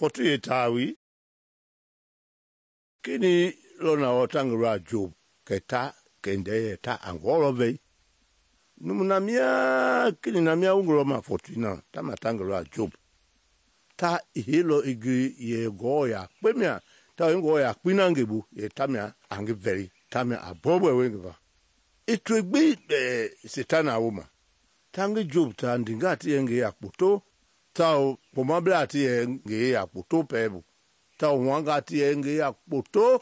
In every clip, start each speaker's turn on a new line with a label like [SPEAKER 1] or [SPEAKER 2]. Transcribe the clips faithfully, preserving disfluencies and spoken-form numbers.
[SPEAKER 1] fɔtu ye tawi kini lona o tangura Job keta kende ta angolo vei numuna mia kini na mia ungro ma fɔtu na ta ma tangura Job ta hilo igi ye goya kpemia ta ngoya kpina ngebu ye tamia angi veri tamia abobo wengeva itwegbi eh, Satana woma tangi Job ta ndinga ti yenge ya kpoto ta pomabla ti yenge ya kpoto pebu ta wanga ti yenge ya kpoto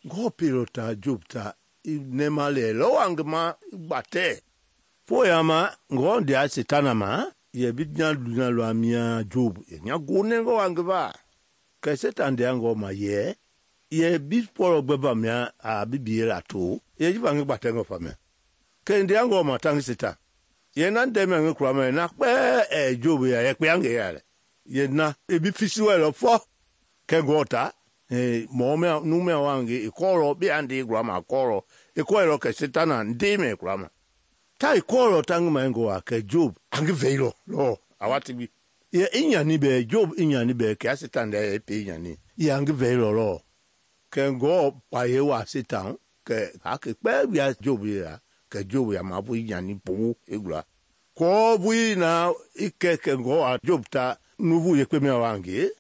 [SPEAKER 1] go pilota Job ta nemale lo angma bate foyama ngo ndia Satana ma ye bidnya dunya lo amia Job nya gone ngo angva ke Satan dia ngo ma ye ye bi polo gbeba mia a bibiela to ye jibangi bate ngo famia ke ndia ngo ma tangi Satan ye nan de me ngkura me na pe e Job ya ye pe ange ya ye na e bi fisi we lo fo ke gota e mo me nu me wange e koro bi ande grama koro e ko ro ke Satana ndi me grama ta e koro tangi ma ngo wa ke Job ange veilo lo awati bi ye inya ni be Job inya ni be ke Satan de e pe inya ni ye ange veilo lo ke ngo pa ye wa Satan ke ha ke pe ya Job ya ke Job ya mabu inya ni bu egura ko bu na ike ke ngo a Job ta nuvu ye pe me wange